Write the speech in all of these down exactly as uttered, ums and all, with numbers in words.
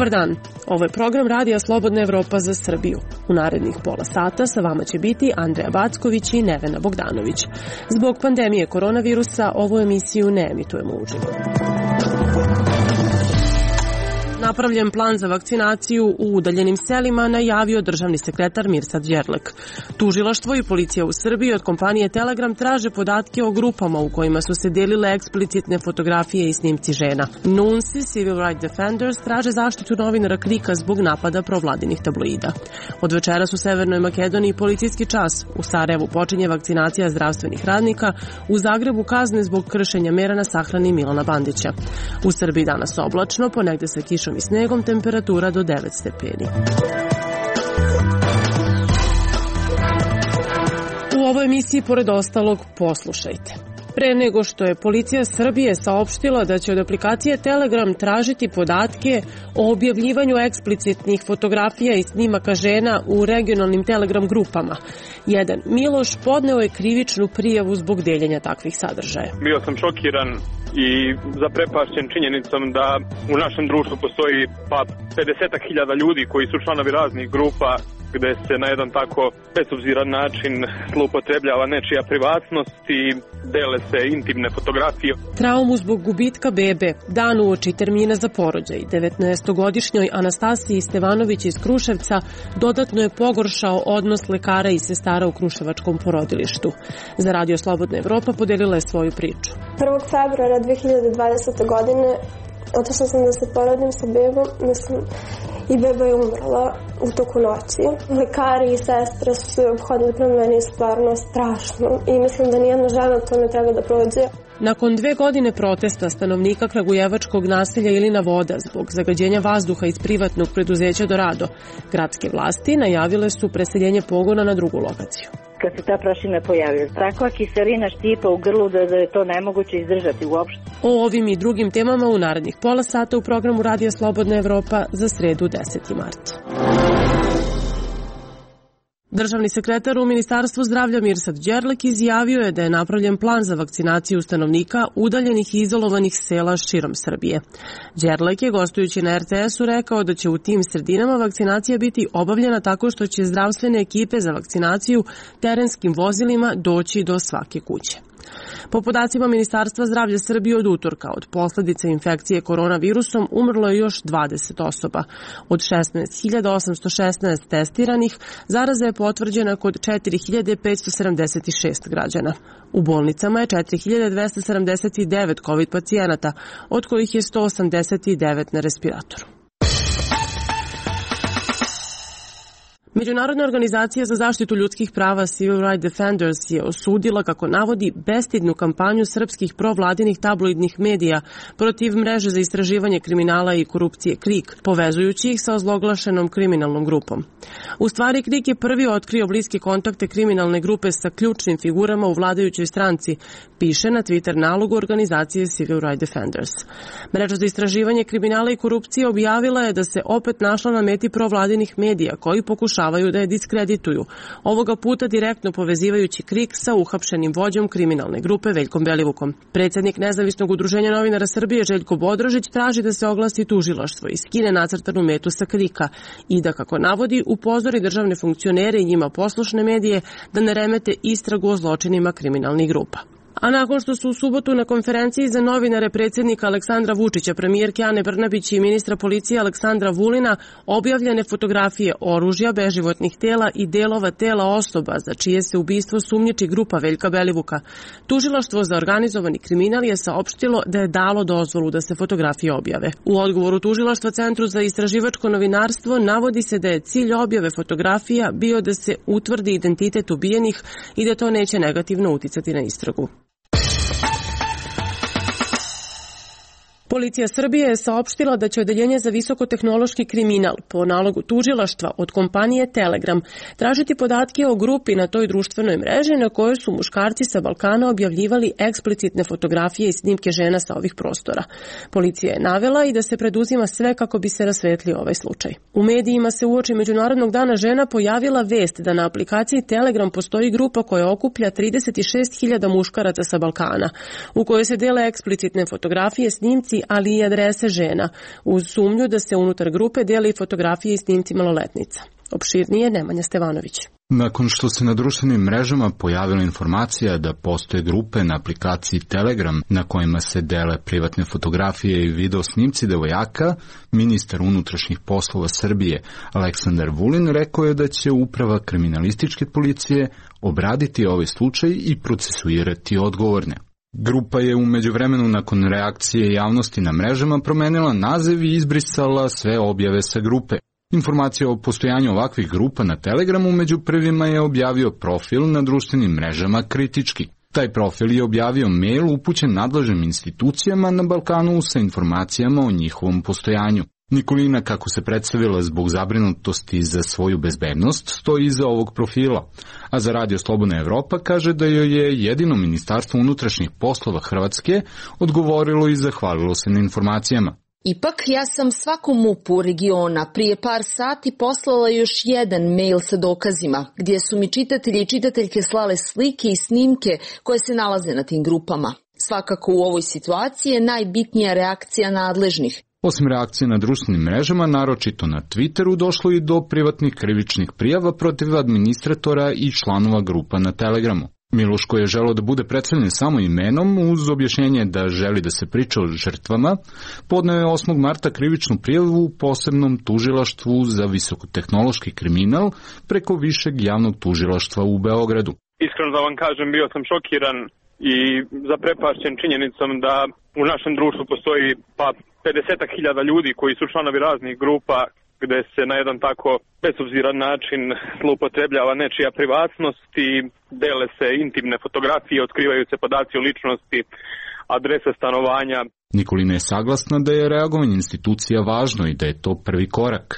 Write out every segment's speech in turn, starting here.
Dobar dan, ovo je program Radija Slobodna Evropa za Srbiju. U narednih pola sata sa vama će biti Andreja Backović i Nevena Bogdanović. Zbog pandemije koronavirusa ovu emisiju ne emitujemo uživo. Napravljen plan za vakcinaciju u udaljenim selima najavio državni sekretar Mirsad Đerlek. Tužilaštvo i policija u Srbiji od kompanije Telegram traže podatke o grupama u kojima su se delile eksplicitne fotografije i snimci žena. Nunsi, Civil Rights Defenders, traže zaštitu novinara Krika zbog napada provladinih tabloida. Od večeras u Severnoj Makedoniji policijski čas. U Sarajevu počinje vakcinacija zdravstvenih radnika, u Zagrebu kazne zbog kršenja mera na sahrani Milana Bandića. U Srbiji danas oblačno, ponegde sa kišom i snegom, temperatura do devet stepeni. U ovoj emisiji, pored ostalog, poslušajte. Pre nego što je policija Srbije saopštila da će od aplikacije Telegram tražiti podatke o objavljivanju eksplicitnih fotografija i snimaka žena u regionalnim Telegram grupama. Jedan Miloš podneo je krivičnu prijavu zbog deljenja takvih sadržaja. Bio sam šokiran i zaprepašćen činjenicom da u našem društvu postoji pa pedeset hiljada ljudi koji su članovi raznih grupa gde se na jedan tako bezobziran način zloupotrebljava nečija privatnost i dele se intimne fotografije. Traumu zbog gubitka bebe, dan uoči termina za porođaj, devetnaestogodišnjoj Anastasiji Stevanović iz Kruševca dodatno je pogoršao odnos lekara i sestara u kruševačkom porodilištu. Za Radio Slobodna Evropa podelila je svoju priču. prvog februara dve hiljade dvadesete. godine otišla sam da se porodim sa bebom, mislim, i beba je umrla u toku noći. Lekari i sestre su se obhodili prema meni stvarno strašno i mislim da nijedna žena to ne treba da prođe. Nakon dve godine protesta stanovnika kragujevačkog naselja Ilina Voda zbog zagađenja vazduha iz privatnog preduzeća Dorado, gradske vlasti najavile su preseljenje pogona na drugu lokaciju. Kad se ta prašina pojavila, takva kiselina štipa u grlu da, da je to nemoguće izdržati uopšte. O ovim i drugim temama u narednih pola sata u programu Radija Slobodna Evropa za sredu deseti mart. Državni sekretar u Ministarstvu zdravlja Mirsad Đerlek izjavio je da je napravljen plan za vakcinaciju stanovnika udaljenih i izolovanih sela širom Srbije. Đerlek je, gostujući na er te esu, rekao da će u tim sredinama vakcinacija biti obavljena tako što će zdravstvene ekipe za vakcinaciju terenskim vozilima doći do svake kuće. Po podacima Ministarstva zdravlja Srbije od utorka od posledica infekcije koronavirusom umrlo je još dvadeset osoba. Od šesnaest hiljada osamsto šesnaest testiranih, zaraza je potvrđena kod četiri hiljade petsto sedamdeset šest građana. U bolnicama je četiri hiljade dvesta sedamdeset devet COVID pacijenata, od kojih je sto osamdeset devet na respiratoru. Međunarodna organizacija za zaštitu ljudskih prava Civil Rights Defenders je osudila, kako navodi, bestidnu kampanju srpskih provladinih tabloidnih medija protiv mreže za istraživanje kriminala i korupcije Krik, povezujući ih sa ozloglašenom kriminalnom grupom. U stvari, Krik je prvi otkrio bliske kontakte kriminalne grupe sa ključnim figurama u vladajućoj stranci, piše na Twitter nalogu organizacije Civil Rights Defenders. Mreža za istraživanje kriminala i korupcije objavila je da se opet našla na meti provladinih medija koji pokušavaju da je diskredituju, ovoga puta direktno povezivajući Krik sa uhapšenim vođom kriminalne grupe Veljkom Belivukom. Predsjednik Nezavisnog udruženja novinara Srbije Željko Bodrožić traži da se oglasi tužilaštvo i skine nacrtanu metu sa Krika i da, kako navodi, upozori državne funkcionere i njima poslušne medije da ne remete istragu o zločinima kriminalnih grupa. A nakon što su u subotu na konferenciji za novinare predsjednika Aleksandra Vučića, premijerke Ane Brnabić i ministra policije Aleksandra Vulina objavljene fotografije oružja, beživotnih tela i delova tela osoba za čije se ubistvo sumnjiči grupa Veljka Belivuka, tužilaštvo za organizovani kriminal je saopštilo da je dalo dozvolu da se fotografije objave. U odgovoru tužilaštva Centru za istraživačko novinarstvo navodi se da je cilj objave fotografija bio da se utvrdi identitet ubijenih i da to neće negativno uticati na istragu. Policija Srbije je saopštila da će Odeljenje za visokotehnološki kriminal po nalogu tužilaštva od kompanije Telegram tražiti podatke o grupi na toj društvenoj mreži na kojoj su muškarci sa Balkana objavljivali eksplicitne fotografije i snimke žena sa ovih prostora. Policija je navela i da se preduzima sve kako bi se rasvetlio ovaj slučaj. U medijima se uoči Međunarodnog dana žena pojavila vest da na aplikaciji Telegram postoji grupa koja okuplja trideset šest hiljada muškaraca sa Balkana, u kojoj se dele eksplicitne fotografije, snimci maili, ali i adrese žena, uz sumnju da se unutar grupe deli fotografije i snimci maloletnica. Opširnije Nemanja Stevanović. Nakon što se na društvenim mrežama pojavila informacija da postoje grupe na aplikaciji Telegram na kojima se dele privatne fotografije i video snimci devojaka, ministar unutrašnjih poslova Srbije Aleksandar Vulin rekao je da će uprava kriminalističke policije obraditi ovaj slučaj i procesuirati odgovorne. Grupa je u međuvremenu nakon reakcije javnosti na mrežama promenila naziv i izbrisala sve objave sa grupe. Informacija o postojanju ovakvih grupa na Telegramu među prvima je objavio profil na društvenim mrežama Kritički. Taj profil je objavio mail upućen nadležnim institucijama na Balkanu sa informacijama o njihovom postojanju. Nikolina, kako se predstavila zbog zabrinutosti za svoju bezbednost, stoji iza ovog profila, a za Radio Slobodna Evropa kaže da joj je jedino Ministarstvo unutrašnjih poslova Hrvatske odgovorilo i zahvalilo se na informacijama. Ipak, ja sam svakom M U P-u regiona prije par sati poslala još jedan mail sa dokazima, gdje su mi čitatelji i čitateljke slale slike i snimke koje se nalaze na tim grupama. Svakako u ovoj situaciji je najbitnija reakcija nadležnih. Osim reakcije na društvenim mrežama, naročito na Twitteru, došlo i do privatnih krivičnih prijava protiv administratora i članova grupa na Telegramu. Miloš, koji je želeo da bude predstavljen samo imenom, uz objašnjenje da želi da se priča o žrtvama, podneo je osmog marta krivičnu prijavu u posebnom tužilaštvu za visokotehnološki kriminal preko Višeg javnog tužilaštva u Beogradu. Iskreno da vam kažem, bio sam šokiran i zaprepašćen činjenicom da u našem društvu postoji pa pedeset hiljada ljudi koji su članovi raznih grupa gde se na jedan tako bezobziran način zloupotrebljava nečija privatnost i dele se intimne fotografije, otkrivaju se podaci o ličnosti, adrese stanovanja. Nikolina je saglasna da je reagovanje institucija važno i da je to prvi korak.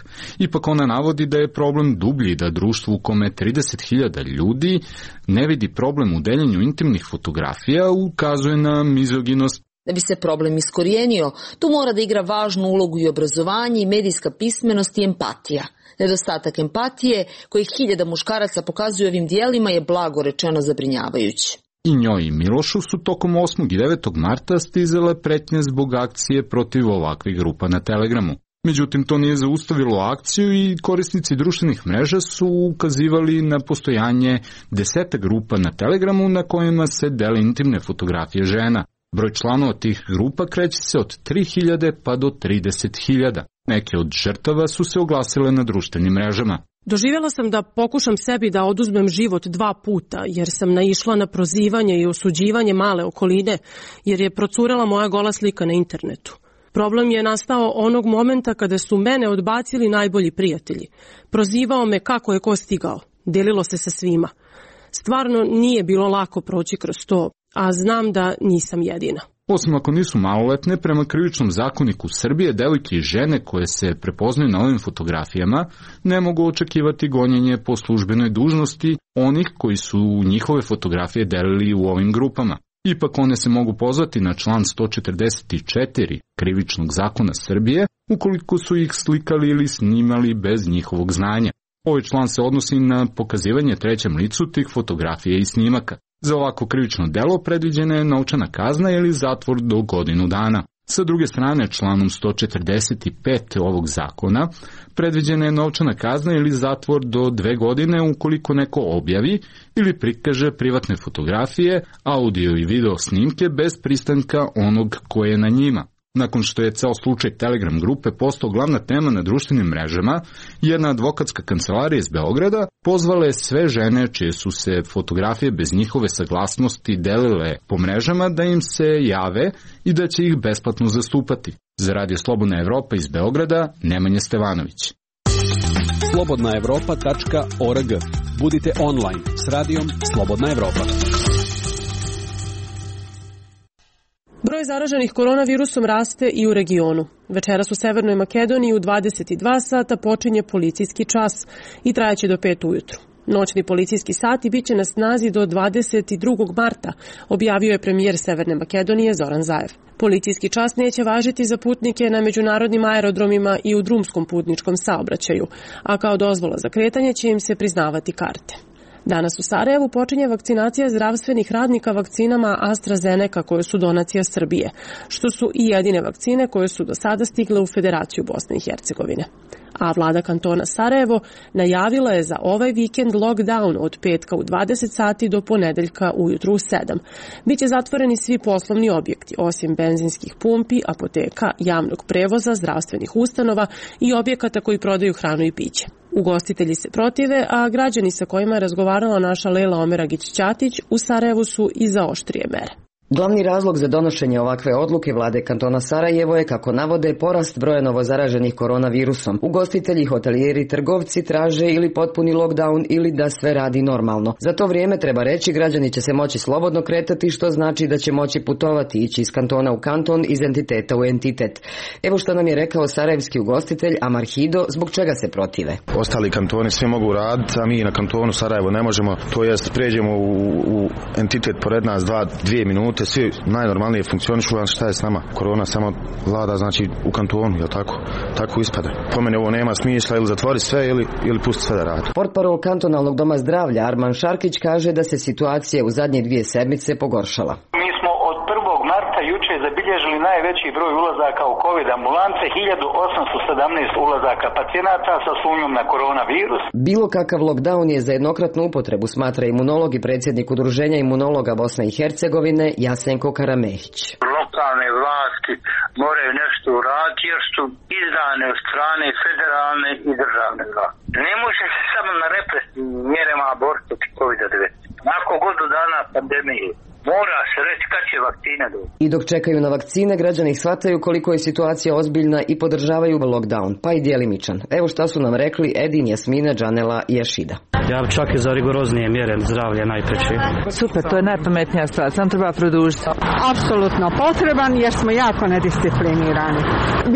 Ipak ona navodi da je problem dublji, da društvo u kome trideset hiljada ljudi ne vidi problem u deljenju intimnih fotografija, ukazuje na mizoginost. Da bi se problem iskorijenio, tu mora da igra važnu ulogu i obrazovanje i medijska pismenost i empatija. Nedostatak empatije, koji hiljada muškaraca pokazuju ovim dijelima, je blago rečeno zabrinjavajući. I njoj i Milošu su tokom osmog i devetog marta stizale pretnje zbog akcije protiv ovakvih grupa na Telegramu. Međutim, to nije zaustavilo akciju i korisnici društvenih mreža su ukazivali na postojanje deseta grupa na Telegramu na kojima se dele intimne fotografije žena. Broj članova tih grupa kreće se od tri hiljade pa do trideset hiljada. Neke od žrtava su se oglasile na društvenim mrežama. Doživjela sam da pokušam sebi da oduzmem život dva puta, jer sam naišla na prozivanje i osuđivanje male okoline, jer je procurela moja gola slika na internetu. Problem je nastao onog momenta kada su mene odbacili najbolji prijatelji. Prozivao me kako je ko stigao. Delilo se sa svima. Stvarno nije bilo lako proći kroz to, a znam da nisam jedina. Osim ako nisu maloletne, prema krivičnom zakoniku Srbije, devojke i žene koje se prepoznaju na ovim fotografijama ne mogu očekivati gonjenje po službenoj dužnosti onih koji su njihove fotografije delili u ovim grupama. Ipak one se mogu pozvati na član sto četrdeset četiri krivičnog zakona Srbije ukoliko su ih slikali ili snimali bez njihovog znanja. Ovaj član se odnosi na pokazivanje trećem licu tih fotografija i snimaka. Za ovako krivično delo predviđena je novčana kazna ili zatvor do godinu dana. Sa druge strane, članom sto četrdeset pet ovog zakona predviđena je novčana kazna ili zatvor do dve godine ukoliko neko objavi ili prikaže privatne fotografije, audio i video snimke bez pristanka onog koje je na njima. Nakon što je ceo slučaj Telegram grupe postao glavna tema na društvenim mrežama, jedna advokatska kancelarija iz Beograda pozvala je sve žene čije su se fotografije bez njihove saglasnosti delile po mrežama da im se jave i da će ih besplatno zastupati. Za Radio Slobodna Evropa iz Beograda, Nemanja Stevanović. slobodna evropa tačka org. Budite online s radijom Slobodna Evropa. Broj zaraženih koronavirusom raste i u regionu. Večeras u Severnoj Makedoniji u dvadeset dva sata počinje policijski čas i trajaće do pet ujutru. Noćni policijski sati biće na snazi do dvadeset drugog marta, objavio je premijer Severne Makedonije Zoran Zaev. Policijski čas neće važiti za putnike na međunarodnim aerodromima i u drumskom putničkom saobraćaju, a kao dozvola za kretanje će im se priznavati karte. Danas u Sarajevu počinje vakcinacija zdravstvenih radnika vakcinama AstraZeneca koje su donacija Srbije, što su i jedine vakcine koje su do sada stigle u Federaciju Bosne i Hercegovine. A vlada kantona Sarajevo najavila je za ovaj vikend lockdown od petka u dvadeset sati do ponedeljka ujutru u sedam. Biće zatvoreni svi poslovni objekti, osim benzinskih pumpi, apoteka, javnog prevoza, zdravstvenih ustanova i objekata koji prodaju hranu i piće. Ugostitelji se protive, a građani sa kojima je razgovarala naša Lejla Omeragić-Ćatić u Sarajevu su i za oštrije mere. Glavni razlog za donošenje ovakve odluke vlade kantona Sarajevo je, kako navode, porast broja novozaraženih koronavirusom. Ugostitelji, hotelijeri, trgovci traže ili potpuni lockdown ili da sve radi normalno. Za to vrijeme, treba reći, građani će se moći slobodno kretati, što znači da će moći putovati, ići iz kantona u kanton, iz entiteta u entitet. Evo što nam je rekao sarajevski ugostitelj Amar Hido, zbog čega se protive. Ostali kantoni svi mogu raditi, a mi na kantonu Sarajevo ne možemo, to jest pređemo u, u entitet pored nas dva, dvije minute, svi najnormalnije funkcionišu, a šta je s nama? Korona samo vlada, znači, u kantonu, jel tako? Tako ispada. Po mene ovo nema smisla, ili zatvori sve ili, ili pusti sve da radi. Portparol kantonalnog doma zdravlja Arman Šarkić kaže da se situacija u zadnje dvije sedmice pogoršala. Mi smo od prvog marta juče zabilježili najveći broj ulazaka u COVID ambulance, hiljadu osamsto sedamnaest ulazaka pacijenata sa sumnjom na koronavirus. Bilo kakav lockdown je za jednokratnu upotrebu, smatra imunolog i predsjednik Udruženja imunologa Bosne i Hercegovine Jasenko Karamehić. Lokalne vlasti moraju nešto uraditi jer su izdane od strane federalne i državne vlasti. Ne može se samo na represivnim mjerama boriti protiv kovid devetnaest. Nakon godinu dana pandemije mora se reći kad će vakcine doći. I dok čekaju na vakcine, građani shvataju koliko je situacija ozbiljna i podržavaju lockdown, pa i djelimičan. Evo šta su nam rekli Edin, Jasmina, Džanela i Jašida. Ja čak i za rigoroznije mjere zdravlje najpreći. Super, to je najpametnija stvar, sam treba produžiti. Apsolutno potreban jer smo jako nedisciplinirani.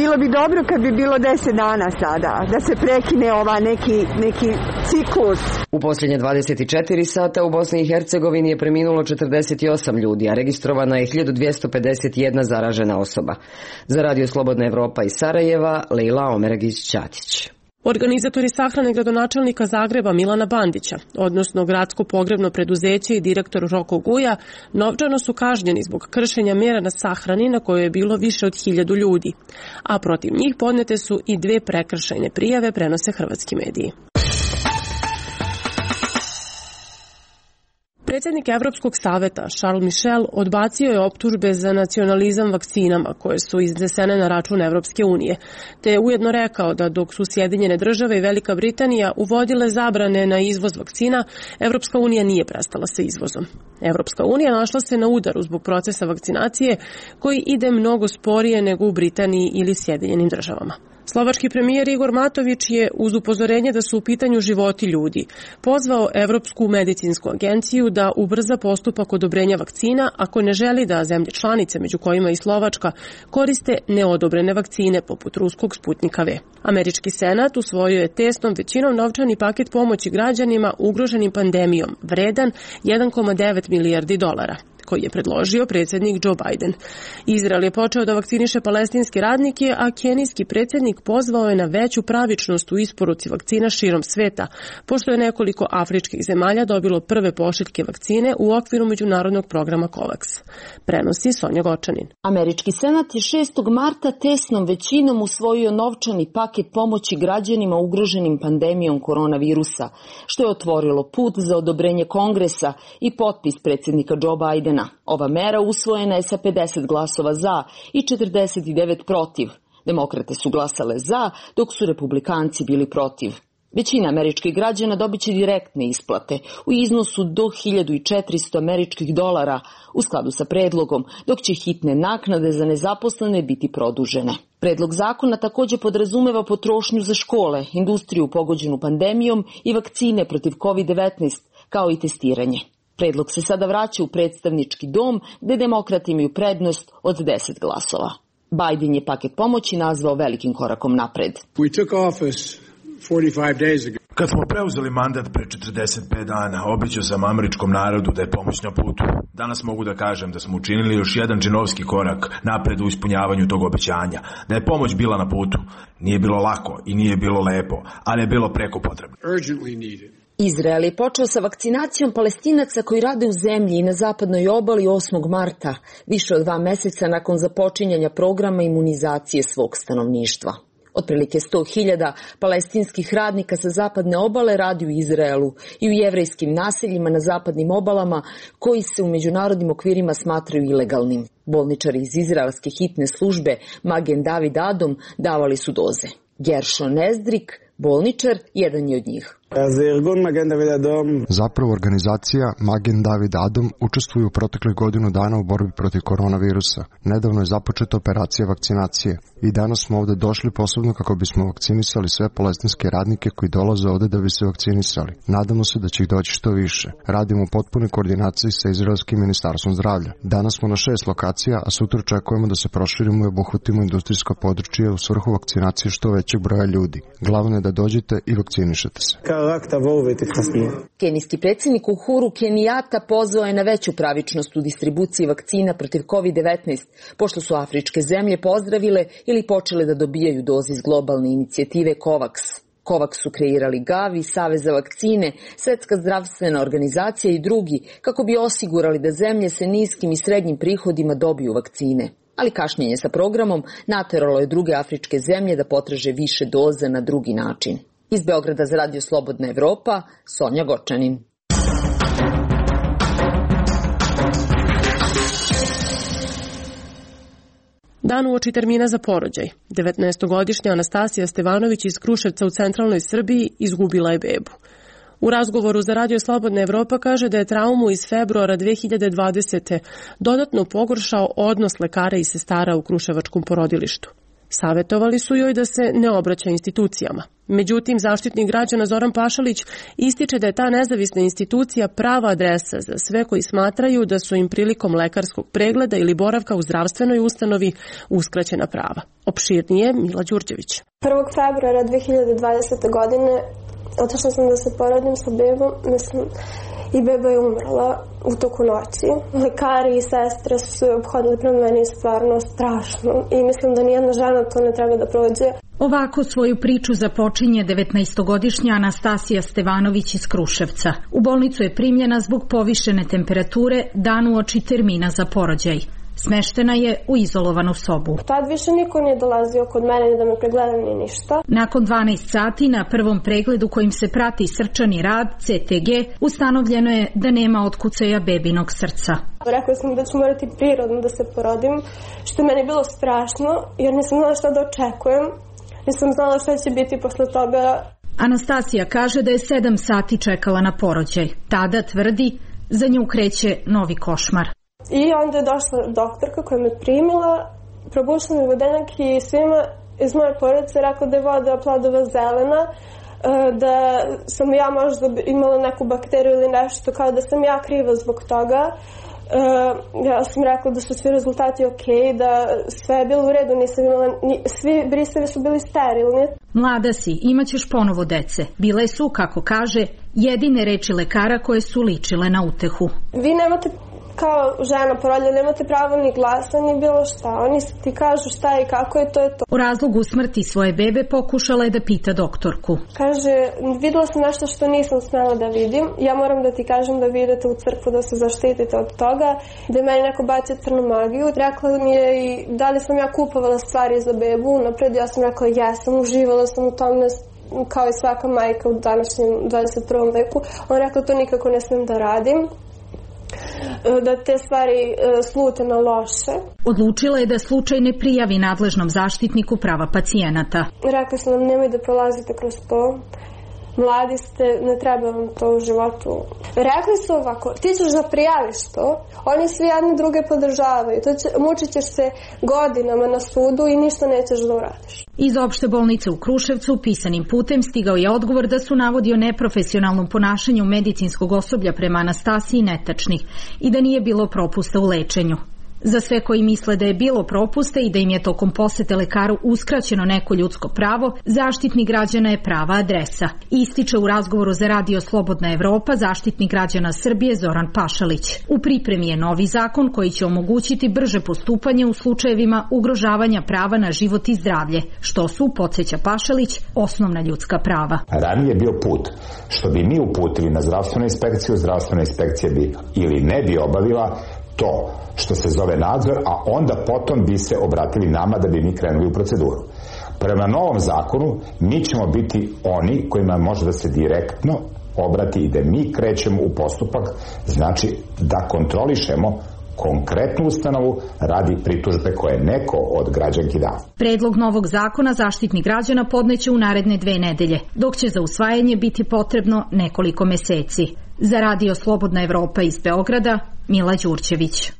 Bilo bi dobro kad bi bilo deset dana sada, da se prekine ova neki, neki ciklus. U posljednje dvadeset četiri sata u Bosni i Hercegovini je preminulo četrdeset osam ljudi, a registrovana je hiljadu dvjesto pedeset jedna zaražena osoba. Za Radio Slobodna Evropa iz Sarajeva, Lejla Omeragić-Ćatić. Organizatori sahrane gradonačelnika Zagreba Milana Bandića, odnosno gradsko pogrebno preduzeće i direktor Roko Guja, novčano su kažnjeni zbog kršenja mjera na sahrani na kojoj je bilo više od hiljadu ljudi, a protiv njih podnete su i dve prekršajne prijave, prenose hrvatski mediji. Predsjednik Evropskog saveta Charles Michel odbacio je optužbe za nacionalizam vakcinama koje su iznesene na račun Evropske unije, te je ujedno rekao da dok su Sjedinjene države i Velika Britanija uvodile zabrane na izvoz vakcina, Evropska unija nije prestala sa izvozom. Evropska unija našla se na udaru zbog procesa vakcinacije koji ide mnogo sporije nego u Britaniji ili Sjedinjenim državama. Slovački premijer Igor Matović je, uz upozorenje da su u pitanju životi ljudi, pozvao Evropsku medicinsku agenciju da ubrza postupak odobrenja vakcina ako ne želi da zemlje članice, među kojima i Slovačka, koriste neodobrene vakcine poput ruskog Sputnika V. Američki senat usvojio je tesnom većinom novčani paket pomoći građanima ugroženim pandemijom, vredan jedan zarez devet milijardi dolara, koji je predložio predsjednik Joe Biden. Izrael je počeo da vakciniše palestinske radnike, a kenijski predsjednik pozvao je na veću pravičnost u isporuci vakcina širom sveta, pošto je nekoliko afričkih zemalja dobilo prve pošiljke vakcine u okviru međunarodnog programa COVAX. Prenosi Sonja Gočanin. Američki senat je šestog marta tesnom većinom usvojio novčani paket pomoći građanima ugroženim pandemijom koronavirusa, što je otvorilo put za odobrenje Kongresa i potpis predsjednika Joe Bidena. Ova mera usvojena je sa pedeset glasova za i četrdeset devet protiv. Demokrate su glasale za, dok su republikanci bili protiv. Većina američkih građana dobit će direktne isplate u iznosu do hiljadu četiristo američkih dolara u skladu sa predlogom, dok će hitne naknade za nezaposlene biti produžene. Predlog zakona također podrazumeva potrošnju za škole, industriju pogođenu pandemijom i vakcine protiv kovid devetnaest, kao i testiranje. Predlog se sada vraća u predstavnički dom, gde demokrati imaju prednost od deset glasova. Biden je paket pomoći nazvao velikim korakom napred. Kad smo preuzeli mandat pre četrdeset pet dana, obećao sam američkom narodu da je pomoć na putu. Danas mogu da kažem da smo učinili još jedan džinovski korak napred u ispunjavanju tog obećanja. Da je pomoć bila na putu. Nije bilo lako i nije bilo lepo, ali je bilo preko potrebno. Izrael je počeo sa vakcinacijom Palestinaca koji rade u zemlji i na zapadnoj obali osmog marta, više od dva meseca nakon započinjanja programa imunizacije svog stanovništva. Otprilike sto hiljada palestinskih radnika sa zapadne obale radi u Izraelu i u jevrejskim naseljima na zapadnim obalama koji se u međunarodnim okvirima smatraju ilegalnim. Bolničari iz izraelske hitne službe Magen David Adom davali su doze. Gershon Ezdrik, bolničar, jedan je od njih. Zapravo organizacija Magen David Adom učestvuje u proteklih godinu dana u borbi protiv koronavirusa. Nedavno je započeta operacija vakcinacije i danas smo ovde došli posebno kako bismo vakcinisali sve palestinske radnike koji dolaze ovde da bi se vakcinisali. Nadamo se da će ih doći što više. Radimo u potpunoj koordinaciji sa Izraelskim ministarstvom zdravlja. Danas smo na šest lokacija, a sutra očekujemo da se proširimo i obuhvatimo industrijska područja u svrhu vakcinacije što većeg broja ljudi. Glavno je da dođete i vakcinišete se. Kenijski predsjednik Uhuru Kenijata pozvao je na veću pravičnost u distribuciji vakcina protiv kovid devetnaest, pošto su afričke zemlje pozdravile ili počele da dobijaju doze iz globalne inicijative COVAX. COVAX su kreirali Gavi, Savez za vakcine, Svetska zdravstvena organizacija i drugi, kako bi osigurali da zemlje sa niskim i srednjim prihodima dobiju vakcine. Ali kašnjenje sa programom nateralo je druge afričke zemlje da potraže više doza na drugi način. Iz Beograda za Radio Slobodna Evropa, Sonja Gočanin. Dan uoči termina za porođaj. devetnaestogodišnja Anastasija Stevanović iz Kruševca u centralnoj Srbiji izgubila je bebu. U razgovoru za Radio Slobodna Evropa kaže da je traumu iz februara dve hiljade dvadesete. dodatno pogoršao odnos lekara i sestara u kruševačkom porodilištu. Savetovali su joj da se ne obraća institucijama. Međutim, zaštitnik građana Zoran Pašalić ističe da je ta nezavisna institucija prava adresa za sve koji smatraju da su im prilikom lekarskog pregleda ili boravka u zdravstvenoj ustanovi uskraćena prava. Opširnije Mila Đurđević. prvog februara dve hiljade dvadesete. godine otišla sam da se porodim sa bebom, mislim, i beba je umrla u toku noći. Lekari i sestre su se obhodili prema meni stvarno strašno i mislim da nijedna žena to ne treba da prođe. Ovako svoju priču započinje devetnaestogodišnja Anastasija Stevanović iz Kruševca. U bolnicu je primljena zbog povišene temperature dan uoči termina za porođaj. Smeštena je u izolovanu sobu. Tad više niko nije dolazio kod mene ni da me pregleda ni ništa. Nakon dvanaest sati na prvom pregledu kojim se prati srčani rad, C T G, ustanovljeno je da nema otkucaja bebinog srca. Rekla sam da ću morati prirodno da se porodim, što je meni bilo strašno, jer nisam znala šta da očekujem. Nisam znala šta će biti posle toga. Anastasija kaže da je sedam sati čekala na porođaj. Tada tvrdi, za nju kreće novi košmar. I onda je došla doktorka koja me primila, probušila mi vodenak i svima iz moje porodice rekla da je voda plodova zelena, da sam ja možda imala neku bakteriju ili nešto, kao da sam ja kriva zbog toga. Ja sam rekla da su svi rezultati ok, da sve je bilo u redu, nisam imala, svi brisevi su bili sterilni. Mlada si, imaćeš ponovo dece. Bile su, kako kaže, jedine reči lekara koje su ličile na utehu. Vi nemate kao žena porodilja, nemate pravo ni glasa ni bilo šta. Oni ti kažu šta i kako je, to je to. U razlogu smrti svoje bebe pokušala je da pita doktorku. Kaže, videla sam nešto što nisam smela da vidim. Ja moram da ti kažem da vi idete u crkvu da se zaštitite od toga. Da je meni neko bacio crnu magiju. Rekla mi je i da li sam ja kupovala stvari za bebu. Napred ja sam rekla jesam, uživala sam u tome kao i svaka majka u današnjem dvadeset prvom veku. On rekla to nikako ne smem da radim, da te stvari slute na loše. Odlučila je da slučaj ne prijavi nadležnom zaštitniku prava pacijenata. Rekla sam nam nemoj da prolazite kroz to. Mladi ste, ne treba vam to u životu. Rekli su ovako, ti ćeš da prijaviš to, oni svi jedni druge podržavaju, to će, mučit ćeš se godinama na sudu i ništa nećeš da uradiš. Iz opšte bolnice u Kruševcu pisanim putem stigao je odgovor da su navodi o neprofesionalnom ponašanju medicinskog osoblja prema Anastasiji netačni i da nije bilo propusta u lečenju. Za sve koji misle da je bilo propuste i da im je tokom posete lekaru uskraćeno neko ljudsko pravo, Zaštitnik građana je prava adresa. Ističe u razgovoru za Radio Slobodna Evropa Zaštitnik građana Srbije Zoran Pašalić. U pripremi je novi zakon koji će omogućiti brže postupanje u slučajevima ugrožavanja prava na život i zdravlje, što su, podsjeća Pašalić, osnovna ljudska prava. Ranije je bio put što bi mi uputili na zdravstvenu inspekciju, zdravstvena inspekcija bi ili ne bi obavila to što se zove nadzor, a onda potom bi se obratili nama da bi mi krenuli u proceduru. Prema novom zakonu mi ćemo biti oni kojima može da se direktno obrati i da mi krećemo u postupak, znači da kontrolišemo konkretnu ustanovu radi pritužbe koje neko od građanki da. Predlog novog zakona Zaštitnik građana podneće u naredne dve nedelje, dok će za usvajanje biti potrebno nekoliko meseci. Za Radio Slobodna Evropa iz Beograda, Mila Đurđević.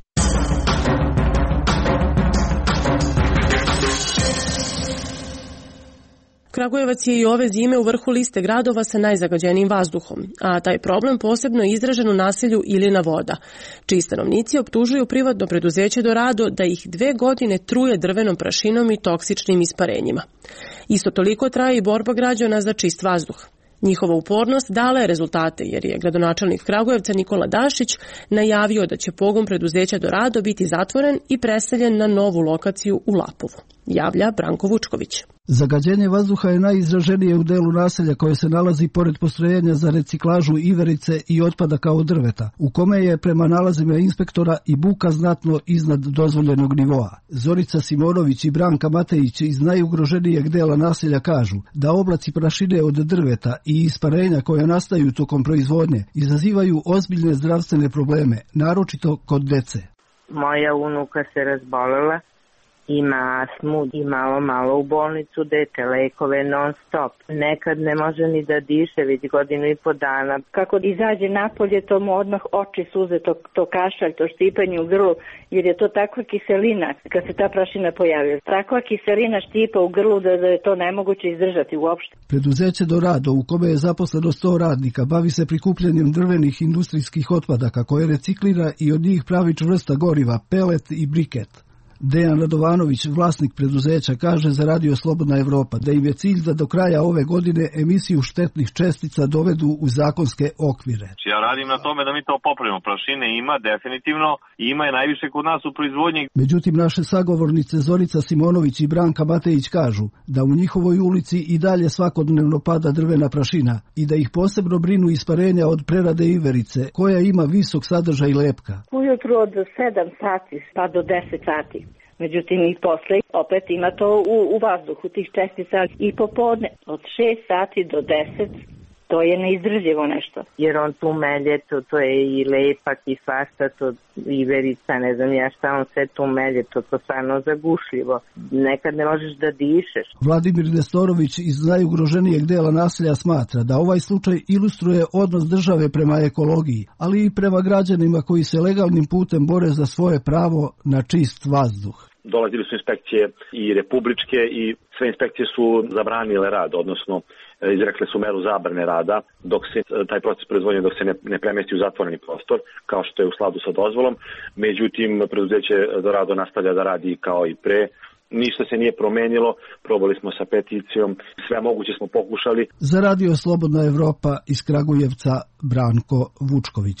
Kragujevac je i ove zime u vrhu liste gradova sa najzagađenijim vazduhom, a taj problem posebno je izražen u naselju Ilina Voda, čiji stanovnici optužuju privatno preduzeće Dorado da ih dve godine truje drvenom prašinom i toksičnim isparenjima. Isto toliko traje i borba građana za čist vazduh. Njihova upornost dala je rezultate, jer je gradonačelnik Kragujevca Nikola Dašić najavio da će pogon preduzeća Dorado biti zatvoren i preseljen na novu lokaciju u Lapovu. Javlja Branko Vučković. Zagađenje vazduha je najizraženije u delu naselja koje se nalazi pored postrojenja za reciklažu iverice i otpadaka od drveta, u kome je prema nalazima inspektora i buka znatno iznad dozvoljenog nivoa. Zorica Simonović i Branka Matejić iz najugroženijeg dela naselja kažu da oblaci prašine od drveta i isparenja koja nastaju tokom proizvodnje izazivaju ozbiljne zdravstvene probleme, naročito kod dece. Moja unuka se razbolela, ima astmu i malo malo u bolnicu dete, lekove non stop. Nekad ne može ni da diše, već godinu i po dana. Kako izađe napolje, to mu odmah oči suze, to, to kašalj, to štipanje u grlu, jer je to takva kiselina kad se ta prašina pojavila. Takva kiselina štipa u grlu da, da je to nemoguće izdržati uopšte. Preduzeće Dorado, u kome je zaposleno sto radnika, bavi se prikupljanjem drvenih industrijskih otpadaka koje reciklira i od njih pravi čvrsta goriva, pelet i briket. Dejan Radovanović, vlasnik preduzeća, kaže za Radio Slobodna Evropa da im je cilj da do kraja ove godine emisiju štetnih čestica dovedu u zakonske okvire. Ja radim na tome da mi to popravimo. Prašine ima definitivno i ima je najviše kod nas u proizvodnji. Međutim, naše sagovornice Zorica Simonović i Branka Matejić kažu da u njihovoj ulici i dalje svakodnevno pada drvena prašina i da ih posebno brinu isparenja od prerade iverice koja ima visok sadržaj lepka. Ujutru od sedam sati pa do deset sati. Međutim, i posle opet ima to u, u vazduhu tih čestica i popodne od šest sati do deset. To je neizdrživo nešto. Jer on tu melje, to, to je i lepak i svašta, to iverica, ne znam ja šta on sve tu melje, to to stvarno zagušljivo. Nekad ne možeš da dišeš. Vladimir Nestorović iz najugroženijeg dela naselja smatra da ovaj slučaj ilustruje odnos države prema ekologiji, ali i prema građanima koji se legalnim putem bore za svoje pravo na čist vazduh. Dolazili su inspekcije i republičke i sve inspekcije su zabranile rad, odnosno izrekle su meru zabrane rada dok se taj proces proizvodnje dok se ne, ne premesti u zatvoreni prostor, kao što je u skladu sa dozvolom. Međutim, preduzeće Dorado nastavlja da radi kao i pre. Ništa se nije promenilo, probali smo sa peticijom, sve moguće smo pokušali. Za Radio Slobodna Evropa iz Kragujevca, Branko Vučković.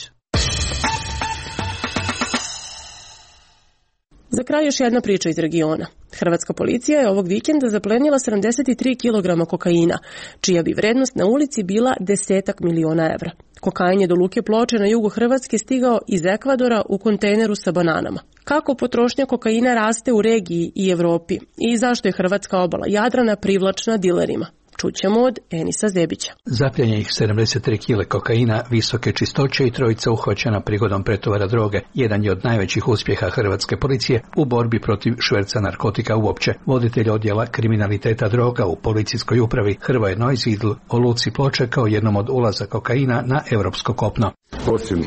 Za kraj još jedna priča iz regiona. Hrvatska policija je ovog vikenda zaplenila sedamdeset tri kilograma kokaina, čija bi vrednost na ulici bila desetak miliona evra. Kokain je do luke Ploče na jugu Hrvatske stigao iz Ekvadora u kontejneru sa bananama. Kako potrošnja kokaina raste u regiji i Evropi i zašto je hrvatska obala Jadrana privlačna dilerima? Čućemo od Enisa Zebića. Zapljenjenih sedamdeset tri kile kokaina visoke čistoće i trojica uhvaćena prigodom pretovara droge jedan je od najvećih uspjeha hrvatske policije u borbi protiv šverca narkotika uopće. Voditelj odjela kriminaliteta droga u policijskoj upravi Hrvoje Nojzidl o luci Ploče kao jednom od ulaza kokaina na europsko kopno. Osim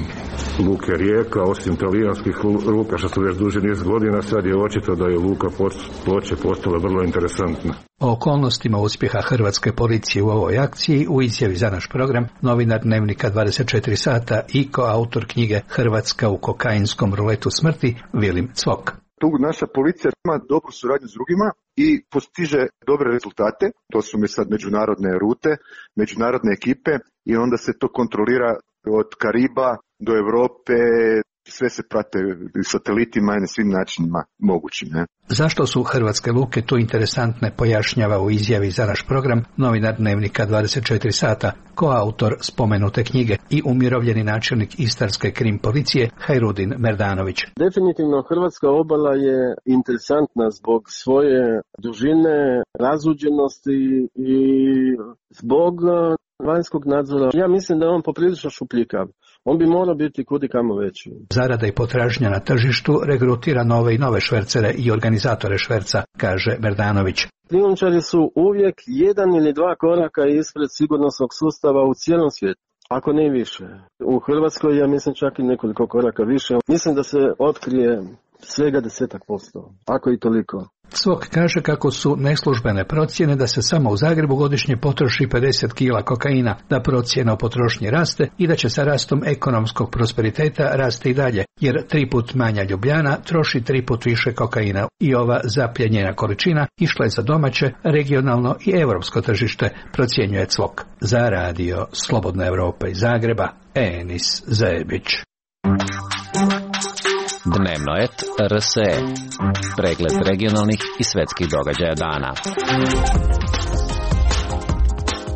luke Rijeka, osim talijanskih luka što su već duži niz godina, sad je očito da je luka Ploče postala vrlo interesantna. O okolnostima uspjeha hrvatske policije u ovoj akciji u izjavi za naš program novinar Dnevnika dvadeset četiri sata i koautor knjige Hrvatska u kokainskom ruletu smrti Vilim Cvok. Tu naša policija ima dobru suradnju s drugima i postiže dobre rezultate. To su mi sad međunarodne rute, međunarodne ekipe i onda se to kontrolira od Kariba do Europe, sve se prate satelitima i na svim načinima mogućim. Ne? Zašto su hrvatske luke tu interesantne, pojašnjava u izjavi za naš program novinar Dnevnika dvadeset četiri sata, koautor spomenute knjige i umirovljeni načelnik Istarske krim policije Hajrudin Merdanović. Definitivno hrvatska obala je interesantna zbog svoje dužine, razuđenosti i zbog vanjskog nadzora. Ja mislim da je on poprilično šupljikav. On bi morao biti kudikamo veći. Zarada i potražnja na tržištu regrutira nove i nove švercere i organizatore šverca, kaže Merdanović. Krijumčari su uvijek jedan ili dva koraka ispred sigurnosnog sustava u cijelom svijetu, ako ne više. U Hrvatskoj ja mislim čak i nekoliko koraka više. Mislim da se otkrije svega desetak posto, ako i toliko. Cvok kaže kako su neslužbene procjene da se samo u Zagrebu godišnje potroši pedeset kila kokaina, da procjena o potrošnji raste i da će sa rastom ekonomskog prosperiteta rasti i dalje, jer tri put manja Ljubljana troši tri put više kokaina i ova zapljenjena količina išla je za domaće, regionalno i europsko tržište, procjenjuje Cvok. Za radio Slobodna Evropa iz Zagreba, Enis Zebić. Dnevno et R S E. Pregled regionalnih i svetskih događaja dana.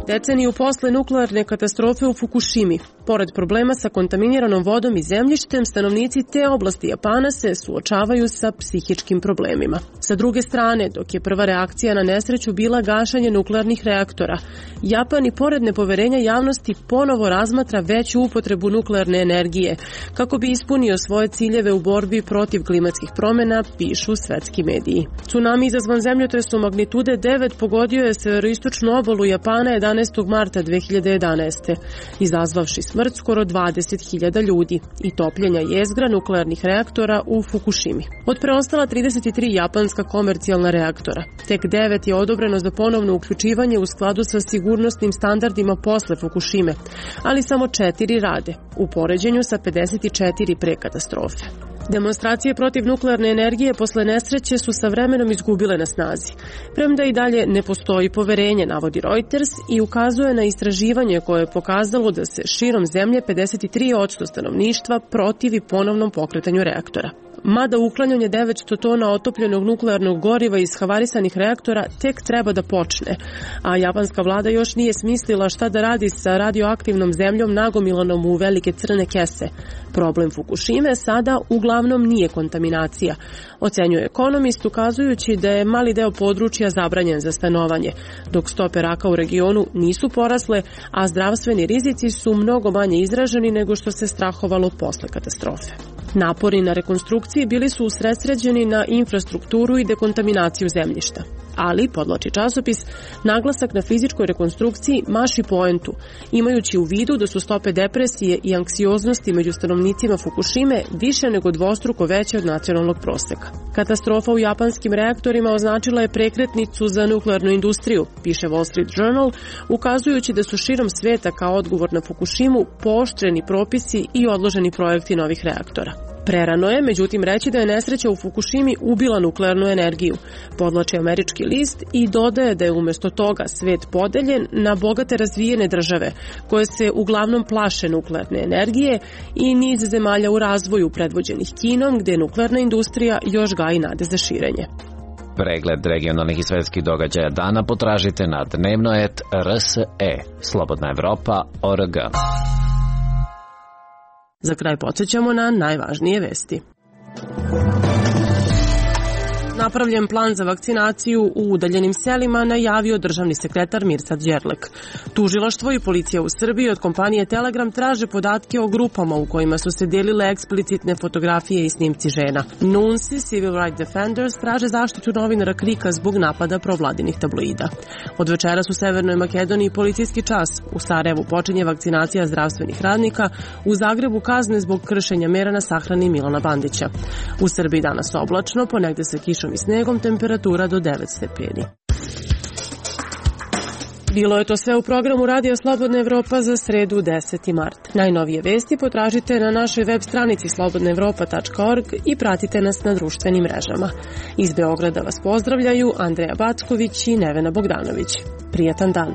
Deceniju posle nuklearne katastrofe u Fukushimi, pored problema sa kontaminiranom vodom i zemljištem, stanovnici te oblasti Japana se suočavaju sa psihičkim problemima. Sa druge strane, dok je prva reakcija na nesreću bila gašanje nuklearnih reaktora, Japan i pored nepoverenja javnosti ponovo razmatra veću upotrebu nuklearne energije kako bi ispunio svoje ciljeve u borbi protiv klimatskih promjena, pišu svetski mediji. Tsunami izazvan zemljotresom magnitude devet pogodio je severoistočnu obalu Japana jedanaestog marta dve hiljade jedanaeste. izazvavši smrt skoro dvadeset hiljada ljudi i topljenja jezgra nuklearnih reaktora u Fukushimi. Od preostala trideset tri japanska komercijalna reaktora, tek devet je odobreno za ponovno uključivanje u skladu sa sigurnosnim standardima posle Fukushime, ali samo četiri rade, u poređenju sa pedeset četiri pre katastrofe. Demonstracije protiv nuklearne energije posle nesreće su sa vremenom izgubile na snazi. Premda i dalje ne postoji poverenje, navodi Reuters i ukazuje na istraživanje koje je pokazalo da se širom zemlje pedeset tri posto stanovništva protivi ponovnom pokretanju reaktora. Mada uklanjanje devetsto tona otopljenog nuklearnog goriva iz havarisanih reaktora tek treba da počne, a japanska vlada još nije smislila šta da radi sa radioaktivnom zemljom nagomilanom u velike crne kese. Problem Fukushime sada uglavnom nije kontaminacija, ocenjuje ekonomist, ukazujući da je mali deo područja zabranjen za stanovanje, dok stope raka u regionu nisu porasle, a zdravstveni rizici su mnogo manje izraženi nego što se strahovalo posle katastrofe. Napori na rekonstrukciji bili su usredsređeni na infrastrukturu i dekontaminaciju zemljišta. Ali, podvlači časopis, naglasak na fizičkoj rekonstrukciji maši poentu, imajući u vidu da su stope depresije i anksioznosti među stanovnicima Fukushime više nego dvostruko veće od nacionalnog proseka. Katastrofa u japanskim reaktorima označila je prekretnicu za nuklearnu industriju, piše Wall Street Journal, ukazujući da su širom sveta kao odgovor na Fukushimu pooštreni propisi i odloženi projekti novih reaktora. Prerano je, međutim, reći da je nesreća u Fukushimi ubila nuklearnu energiju, podvlači američki list i dodaje da je umjesto toga svet podeljen na bogate razvijene države, koje se uglavnom plaše nuklearne energije, i niz zemalja u razvoju predvođenih Kinom, gde nuklearna industrija još gaji nade za širenje. Pregled regionalnih i svetskih događaja dana potražite na dnevno et R S E, Slobodna Evropa, O R G. Za kraj podsjećamo na najvažnije vesti. napravljen plan za vakcinaciju u udaljenim selima, najavio državni sekretar Mirsad Đerlek. Tužilaštvo i policija u Srbiji od kompanije Telegram traže podatke o grupama u kojima su se delile eksplicitne fotografije i snimci žena. Nunsi, Civil Rights Defenders, traže zaštitu novinara Krika zbog napada provladinih tabloida. Od večeras u Severnoj Makedoniji policijski čas. U Sarajevu počinje vakcinacija zdravstvenih radnika, u Zagrebu kazne zbog kršenja mera na sahrani Milana Bandića. U Srbiji danas oblačno, ponegde sa kišom i snegom, temperatura do devet stepeni. Bilo je to sve u programu Radio Slobodna Evropa za sredu deseti mart. Najnovije vesti potražite na našoj web stranici slobodna evropa tačka org i pratite nas na društvenim mrežama. Iz Beograda vas pozdravljaju Andreja Backović i Nevena Bogdanović. Prijatan dan!